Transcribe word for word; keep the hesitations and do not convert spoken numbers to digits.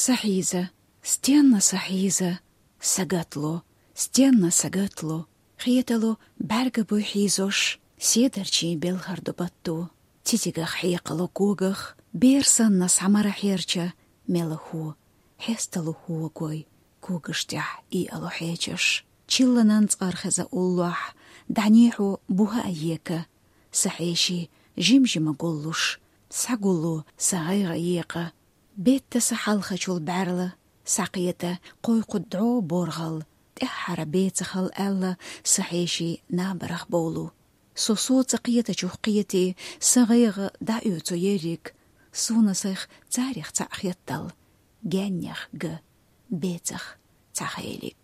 Са хьийза, стенна са хьийза, сагатлу, стенна сагатлу, хеталу бӀаьрга буй хьийзош, седарчий белхар ду батту. Цицигах хьекъалу когах, бер санна схьамара хьерча, мела хӀу, хьесталу хӀу гой, когаш тӀехь иалу хьечаш. Чилланан цӀархеза уллохь, дӀанехьу буха а ека, са хьеший жим-жима гуллуш, схьагуллу са гӀайгӀа екъа. Бетта са хьалхачул бӀаьрла, са кхета кхойкху дӀо боргӀал, тӀаьххьара бецахал аьлла, са хьеший набарах бовлу. Со соца кхетачух кхете, са гӀайгӀа дӀаоьцу ерриг, суна сайх царех цхьаъ хеттал, геннех га, бецах цхьа хелиг.